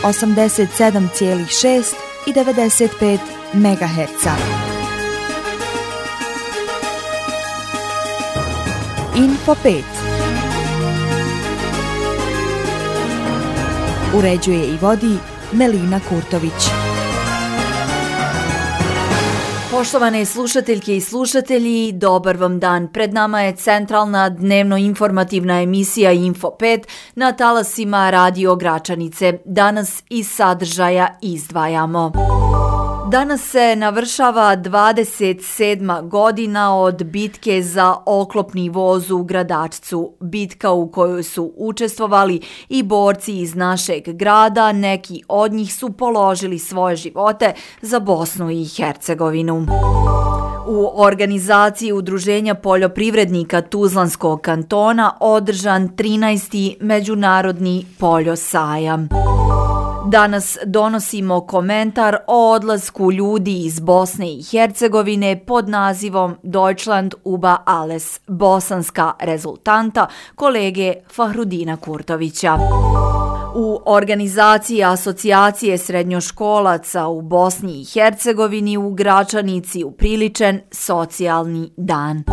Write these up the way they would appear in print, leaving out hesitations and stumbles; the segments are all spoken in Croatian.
87,6 i 95 MHz. Info 5. Uređuje i vodi Melina Kurtović. Poštovane slušateljke i slušatelji, dobar vam dan. Pred nama je centralna dnevno-informativna emisija Info 5 na talasima Radio Gračanice. Danas iz sadržaja izdvajamo. Danas se navršava 27. godina od bitke za oklopni voz u Gradačcu. Bitka u kojoj su učestvovali i borci iz našeg grada, neki od njih su položili svoje živote za Bosnu i Hercegovinu. U organizaciji Udruženja poljoprivrednika Tuzlanskog kantona održan 13. Međunarodni poljosajam. Danas donosimo komentar o odlasku ljudi iz Bosne i Hercegovine pod nazivom Deutschland über alles, bosanska rezultanta kolege Fahrudina Kurtovića. U organizaciji Asocijacije srednjoškolaca u Bosni i Hercegovini u Gračanici upriličen socijalni dan.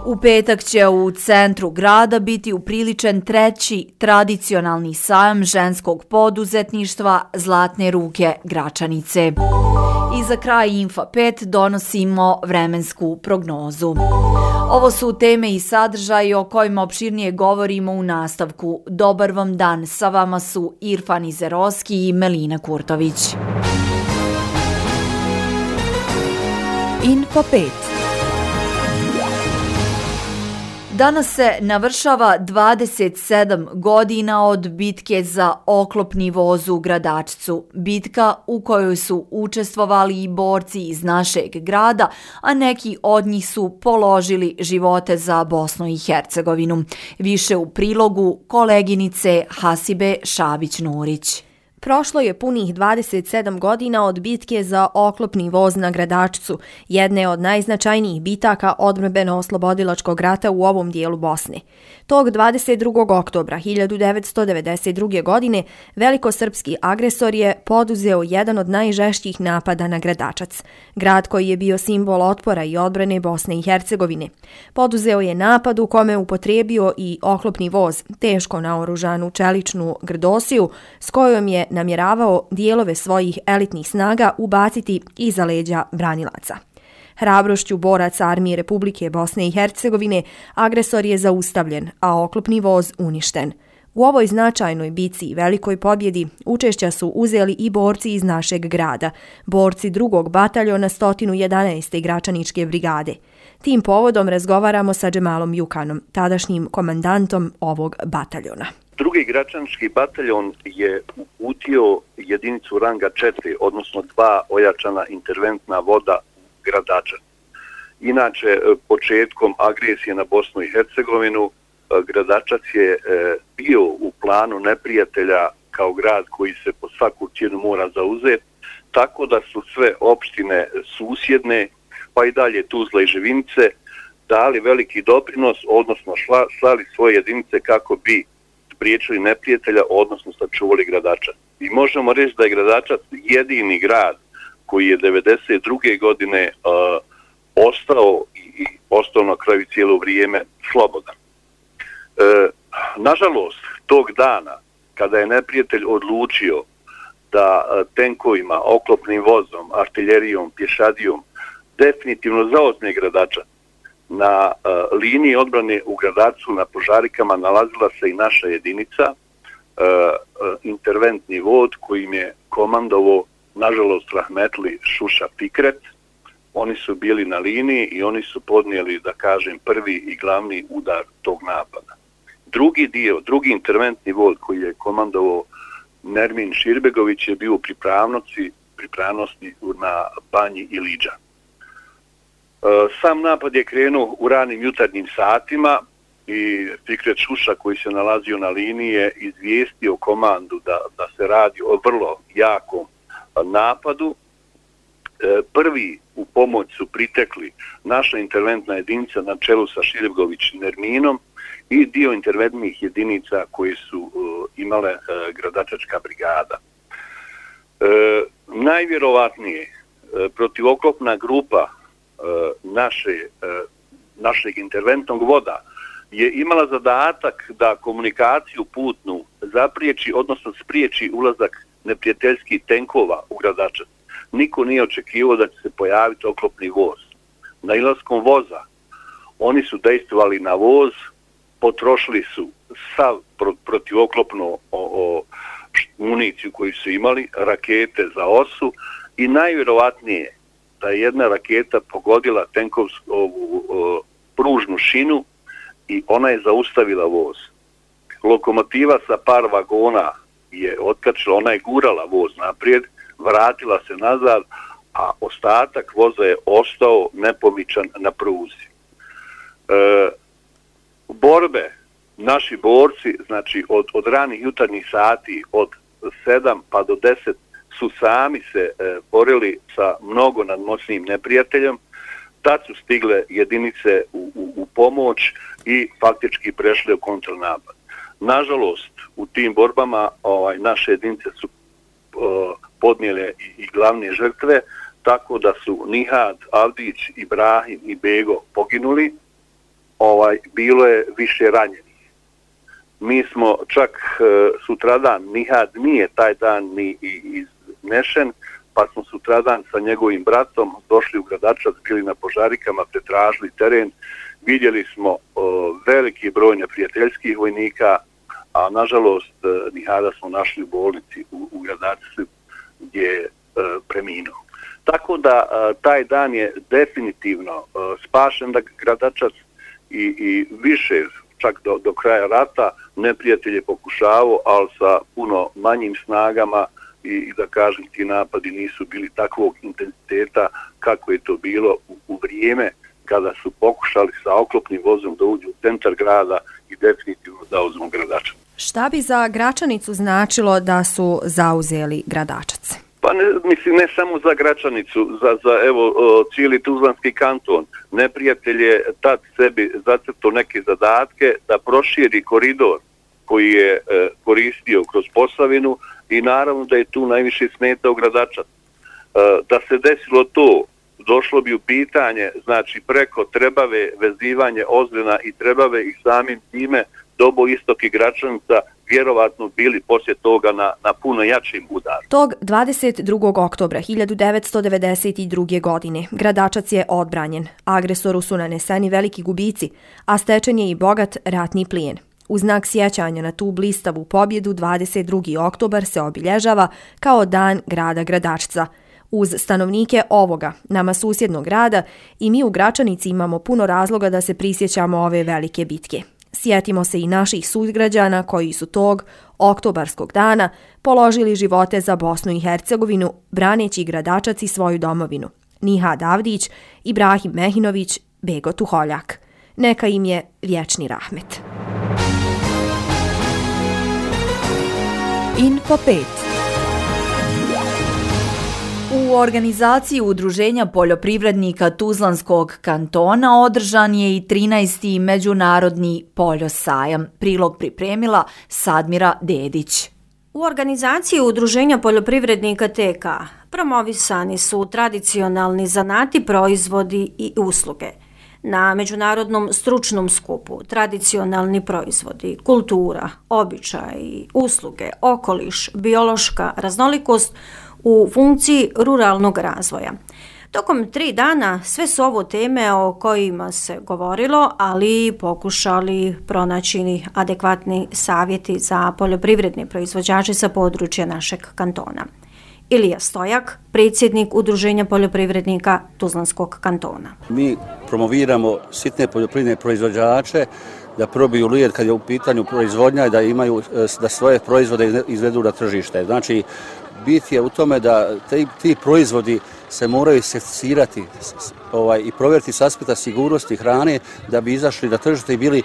U petak će u centru grada biti upriličen 3. tradicionalni sajam ženskog poduzetništva Zlatne ruke Gračanice. I za kraj Info 5 donosimo vremensku prognozu. Ovo su teme i sadržaji o kojima opširnije govorimo u nastavku. Dobar vam dan, sa vama su Irfan Izeroski i Melina Kurtović. Info 5. Danas se navršava 27 godina od bitke za oklopni voz u Gradačcu. Bitka u kojoj su učestvovali i borci iz našeg grada, a neki od njih su položili živote za Bosnu i Hercegovinu. Više u prilogu koleginice Hasibe Šabić-Nurić. Prošlo je punih 27 godina od bitke za oklopni voz na Gradačcu, jedne od najznačajnijih bitaka odbrambeno-oslobodilačkog rata u ovom dijelu Bosne. Tog 22. oktobra 1992. godine velikosrpski agresor je poduzeo jedan od najžešćih napada na Gradačac, grad koji je bio simbol otpora i odbrane Bosne i Hercegovine. Poduzeo je napad u kome upotrijebio i oklopni voz, teško naoružanu čeličnu grdosiju, s kojom je namjeravao dijelove svojih elitnih snaga ubaciti iza leđa branilaca. Hrabrošću boraca Armije Republike Bosne i Hercegovine agresor je zaustavljen, a oklopni voz uništen. U ovoj značajnoj bici i velikoj pobjedi učešća su uzeli i borci iz našeg grada, borci 2. bataljona 111. Gračaničke brigade. Tim povodom razgovaramo sa Džemalom Jukanom, tadašnjim komandantom ovog bataljona. 2. Gračanički bataljon je uputio jedinicu ranga 4, odnosno 2 ojačana interventna voda u Gradačac. Inače, početkom agresije na Bosnu i Hercegovinu, Gradačac je bio u planu neprijatelja kao grad koji se po svaku cijenu mora zauzeti, tako da su sve opštine susjedne, pa i dalje Tuzla i Živinice, dali veliki doprinos, odnosno slali svoje jedinice kako bi spriječili neprijatelja, odnosno sačuvali Gradačac. I možemo reći da je Gradačac jedini grad koji je 1992. godine ostao na kraju cijelo vrijeme slobodan. Nažalost, tog dana, kada je neprijatelj odlučio da tenkovima, oklopnim vozom, artiljerijom, pješadijom definitivno zauzme Gradačac, na liniji odbrane u Gradačcu na Požarikama nalazila se i naša jedinica, interventni vod kojim je komandovao, nažalost, rahmetli Šuša Fikret. Oni su bili na liniji i oni su podnijeli, da kažem, prvi i glavni udar tog napada. Drugi interventni vod koji je komandovao Nermin Širbegović je bio u pripravnosti na Banji i Liđa. Sam napad je krenuo u ranim jutarnjim satima i Fikret Šuša koji se nalazio na liniji je izvijestio komandu da se radi o vrlo jakom napadu. Prvi u pomoć su pritekli naša interventna jedinica na čelu sa Širbegović Nerminom i dio interventnih jedinica koji su imale gradačačka brigada. Najvjerovatnije protivoklopna grupa našeg interventnog voda je imala zadatak da komunikaciju putnu zapriječi, odnosno spriječi ulazak neprijateljskih tenkova u Gradačac. Niko nije očekivao da će se pojaviti oklopni voz. Nailaskom voza oni su dejstvovali na voz, potrošili su sav protivoklopnu municiju koju su imali, rakete za osu i najvjerovatnije da je jedna raketa pogodila tenkovsku pružnu šinu i ona je zaustavila voz. Lokomotiva sa par vagona je otkačila, ona je gurala voz naprijed, vratila se nazad, a ostatak voza je ostao nepomičan na pruzi. Borbe, naši borci, znači od ranih jutarnjih sati, od 7 pa do 10, su sami se borili sa mnogo nadmoćnijim neprijateljem. Tad su stigle jedinice u pomoć i faktički prešle u kontranapad. Nažalost, u tim borbama naše jedinice su podnijele i glavne žrtve, tako da su Nihad, Avdić, Ibrahim i Bego poginuli. Bilo je više ranjenih. Mi smo čak sutradan, Nihad nije taj dan ni iznešen, pa smo sutradan sa njegovim bratom došli u Gradačac, bili na požarikama, pretražili teren, vidjeli smo veliki broj neprijateljskih vojnika, a nažalost Nihada smo našli u bolnici u Gradačcu gdje je preminuo. Tako da taj dan je definitivno spašen Gradačac i više, čak do kraja rata, neprijatelj je pokušavao, ali sa puno manjim snagama i da kažem ti napadi nisu bili takvog intenziteta kako je to bilo u vrijeme kada su pokušali sa oklopnim vozom da uđu u centar grada i definitivno da uzmu Gradačac. Šta bi za Gračanicu značilo da su zauzeli Gradačac? Pa ne samo za Gračanicu, za cijeli Tuzlanski kanton. Neprijatelj je tad sebi zacrtao neke zadatke da proširi koridor koji je koristio kroz Posavinu i naravno da je tu najviše smetao Gradačac. Da se desilo to, došlo bi u pitanje, znači preko Trebave, vezivanje Ozrena i Trebave i samim time Dobo, Istok i Gračanica vjerovatno bili poslije toga na puno jačim udaru. Tog 22. oktobra 1992. godine Gradačac je odbranjen. Agresoru su naneseni veliki gubici, a stečen je i bogat ratni plijen. U znak sjećanja na tu blistavu pobjedu 22. oktobar se obilježava kao dan grada Gradačca. Uz stanovnike ovoga, nama susjednog grada, i mi u Gračanici imamo puno razloga da se prisjećamo ove velike bitke. Sjetimo se i naših sugrađana koji su tog oktobarskog dana položili živote za Bosnu i Hercegovinu, braneći Gradačac i svoju domovinu. Nihad Avdić, Ibrahim Mehinović, Bego Tuholjak. Neka im je vječni rahmet. Info 5. U organizaciji Udruženja poljoprivrednika Tuzlanskog kantona održan je i 13. međunarodni poljosajam. Prilog pripremila Sadmira Dedić. U organizaciji Udruženja poljoprivrednika TK promovisani su tradicionalni zanati, proizvodi i usluge. Na međunarodnom stručnom skupu tradicionalni proizvodi, kultura, običaji, usluge, okoliš, biološka raznolikost u funkciji ruralnog razvoja. Tokom 3 dana sve su ovo teme o kojima se govorilo, ali pokušali pronaći adekvatni savjeti za poljoprivredne proizvođače sa područja našeg kantona. Ilija Stojak, predsjednik Udruženja poljoprivrednika Tuzlanskog kantona. Mi promoviramo sitne poljoprivredne proizvođače da probiju led kad je u pitanju proizvodnja i da svoje proizvode izvedu na tržište. Znači, bit je u tome da ti proizvodi se moraju certificirati i provjeriti s aspekta sigurnosti hrane da bi izašli na tržište i bili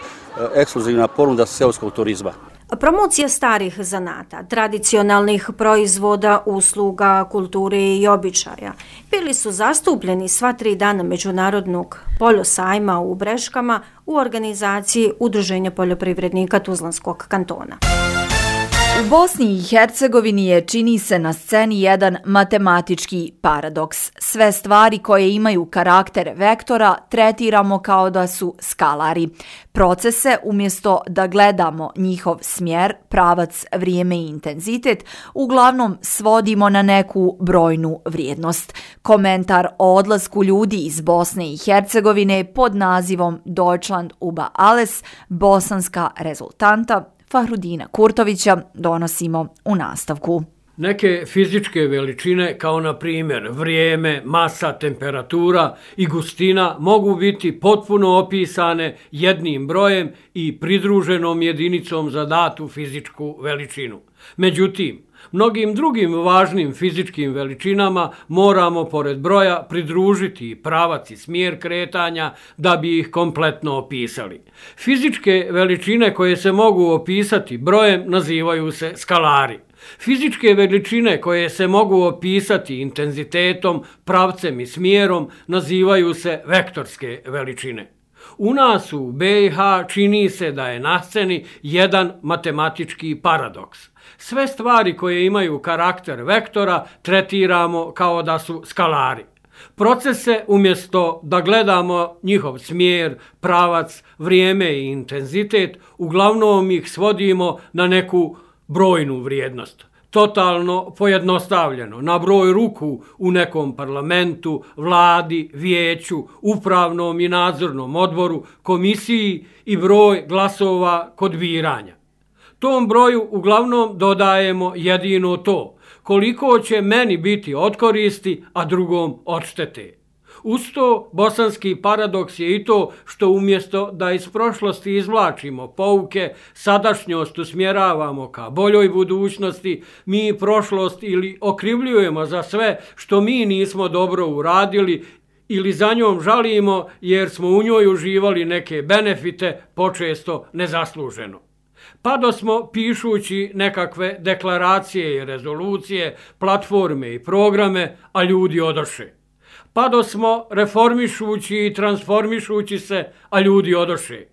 ekskluzivna ponuda seoskog turizma. Promocija starih zanata, tradicionalnih proizvoda, usluga, kulture i običaja bili su zastupljeni sva 3 dana Međunarodnog poljosajma u Breškama u organizaciji Udruženja poljoprivrednika Tuzlanskog kantona. U Bosni i Hercegovini je, čini se, na sceni jedan matematički paradoks. Sve stvari koje imaju karakter vektora tretiramo kao da su skalari. Procese, umjesto da gledamo njihov smjer, pravac, vrijeme i intenzitet, uglavnom svodimo na neku brojnu vrijednost. Komentar o odlasku ljudi iz Bosne i Hercegovine pod nazivom Deutschland über alles, bosanska rezultanta, Fahrudina Kurtovića donosimo u nastavku. Neke fizičke veličine, kao na primjer vrijeme, masa, temperatura i gustina, mogu biti potpuno opisane jednim brojem i pridruženom jedinicom za datu fizičku veličinu. Međutim, mnogim drugim važnim fizičkim veličinama moramo pored broja pridružiti pravac i smjer kretanja da bi ih kompletno opisali. Fizičke veličine koje se mogu opisati brojem nazivaju se skalari. Fizičke veličine koje se mogu opisati intenzitetom, pravcem i smjerom nazivaju se vektorske veličine. U nas u BiH čini se da je na sceni jedan matematički paradoks. Sve stvari koje imaju karakter vektora tretiramo kao da su skalari. Procese, umjesto da gledamo njihov smjer, pravac, vrijeme i intenzitet, uglavnom ih svodimo na neku brojnu vrijednost. Totalno pojednostavljeno, na broj ruku u nekom parlamentu, vladi, vijeću, upravnom i nadzornom odboru, komisiji i broj glasova kod biranja. Tom broju uglavnom dodajemo jedino to, koliko će meni biti od koristi, a drugom od štete. Uz to, bosanski paradoks je i to što umjesto da iz prošlosti izvlačimo pouke, sadašnjost usmjeravamo ka boljoj budućnosti, mi prošlost ili okrivljujemo za sve što mi nismo dobro uradili ili za njom žalimo jer smo u njoj uživali neke benefite, počesto nezasluženo. Pa smo, pišući nekakve deklaracije i rezolucije, platforme i programe, a ljudi odoše. Pa smo, reformišući i transformišući se, a ljudi odoše.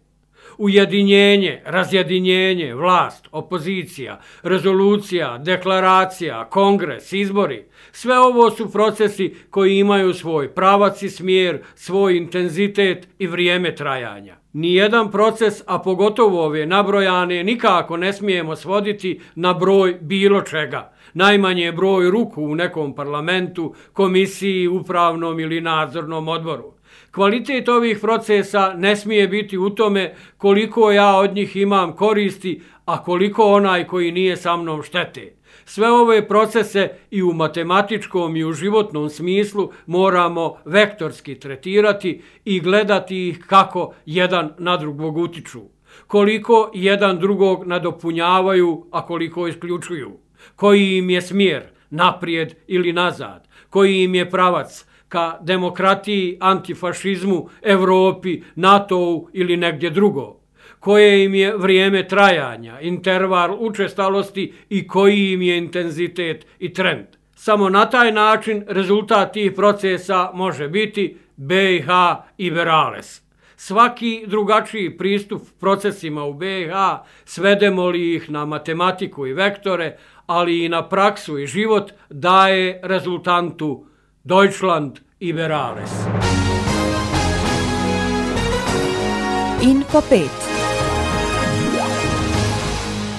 Ujedinjenje, razjedinjenje, vlast, opozicija, rezolucija, deklaracija, kongres, izbori. Sve ovo su procesi koji imaju svoj pravac i smjer, svoj intenzitet i vrijeme trajanja. Nijedan proces, a pogotovo ove nabrojane, nikako ne smijemo svoditi na broj bilo čega. Najmanje broj ruku u nekom parlamentu, komisiji, upravnom ili nadzornom odboru. Kvalitet ovih procesa ne smije biti u tome koliko ja od njih imam koristi, a koliko onaj koji nije sa mnom štete. Sve ove procese i u matematičkom i u životnom smislu moramo vektorski tretirati i gledati ih kako jedan na drugog utiču. Koliko jedan drugog nadopunjavaju, a koliko isključuju. Koji im je smjer, naprijed ili nazad. Koji im je pravac, ka demokratiji, antifašizmu, Europi, NATO-u ili negdje drugo. Koje im je vrijeme trajanja, interval učestalosti i koji im je intenzitet i trend. Samo na taj način rezultat tih procesa može biti BiH Iberales. Svaki drugačiji pristup procesima u BiH, svedemo li ih na matematiku i vektore, ali i na praksu i život, daje rezultantu Deutschland Iberales. Info 5.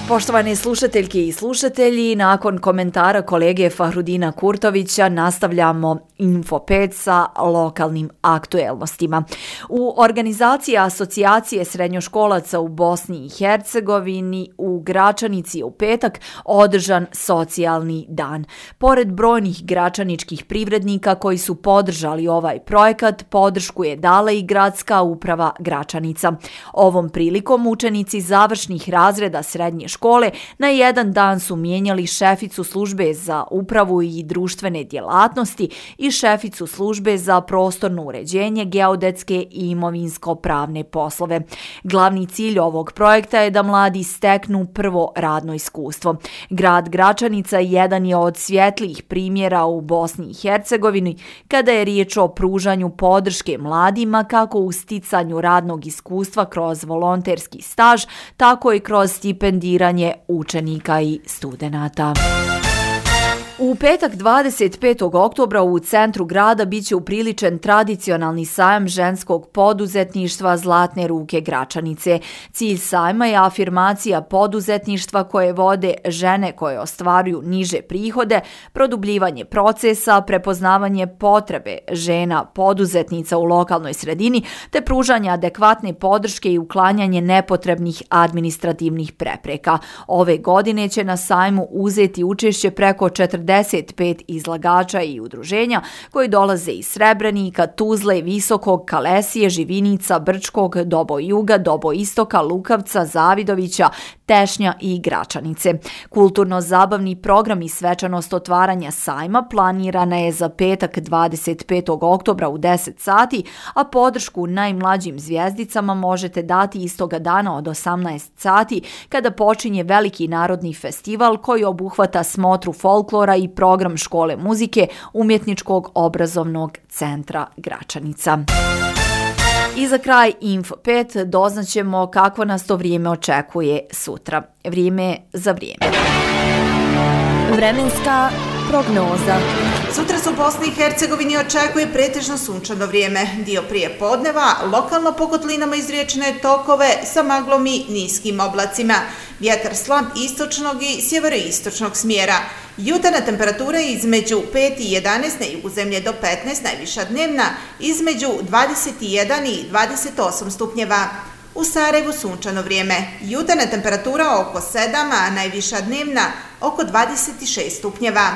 Poštovane slušateljke i slušatelji, nakon komentara kolege Fahrudina Kurtovića nastavljamo Info 5 sa lokalnim aktuelnostima. U organizaciji Asocijacije srednjoškolaca u Bosni i Hercegovini u Gračanici je u petak održan socijalni dan. Pored brojnih gračaničkih privrednika koji su podržali ovaj projekat, podršku je dala i gradska uprava Gračanica. Ovom prilikom učenici završnih razreda srednje škole na jedan dan su mijenjali šeficu službe za upravu i društvene djelatnosti i i šeficu službe za prostorno uređenje, geodetske i imovinsko-pravne poslove. Glavni cilj ovog projekta je da mladi steknu prvo radno iskustvo. Grad Gračanica jedan je od svjetlijih primjera u Bosni i Hercegovini kada je riječ o pružanju podrške mladima kako u sticanju radnog iskustva kroz volonterski staž, tako i kroz stipendiranje učenika i studenata. U petak 25. oktobra u centru grada biće upriličen tradicionalni sajam ženskog poduzetništva Zlatne ruke Gračanice. Cilj sajma je afirmacija poduzetništva koje vode žene koje ostvaruju niže prihode, produbljivanje procesa, prepoznavanje potrebe žena poduzetnica u lokalnoj sredini te pružanje adekvatne podrške i uklanjanje nepotrebnih administrativnih prepreka. Ove godine će na sajmu uzeti učešće preko 45 izlagača i udruženja koji dolaze iz Srebrenika, Tuzle, Visokog, Kalesije, Živinica, Brčkog, Dobojuga, Doboistoka, Lukavca, Zavidovića, Tešnja i Gračanice. Kulturno-zabavni program i svečanost otvaranja sajma planirana je za petak 25. oktobra u 10 sati, a podršku najmlađim zvijezdicama možete dati istoga dana od 18 sati kada počinje veliki narodni festival koji obuhvata smotru folklora i program škole muzike Umjetničkog obrazovnog centra Gračanica. I za kraj Info 5 doznaćemo kako nas to vrijeme očekuje sutra. Vrijeme za vrijeme. Vremenska prognoza. Sutra se u Bosni i Hercegovini očekuje pretežno sunčano vrijeme. Dio prije podneva, lokalno po kotlinama iz riječne tokove sa maglom i niskim oblacima. Vjetar slab istočnog i sjeveroistočnog smjera. Jutarnja temperatura je između 5 i 11, na jugu zemlje do 15, najviša dnevna, između 21 i 28 stupnjeva. U Sarajevu sunčano vrijeme. Jutarnja temperatura oko 7, a najviša dnevna oko 26 stupnjeva.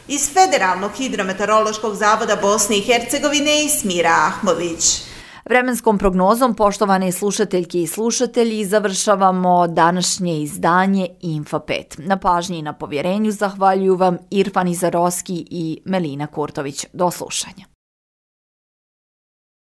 Iz Federalnog hidrometeorološkog zavoda Bosne i Hercegovine Smira Ahmović. Vremenskom prognozom, poštovane slušateljke i slušatelji, završavamo današnje izdanje Info 5. Na pažnji i na povjerenju zahvaljuju vam Irfan Izarovski i Melina Kurtović. Do slušanja.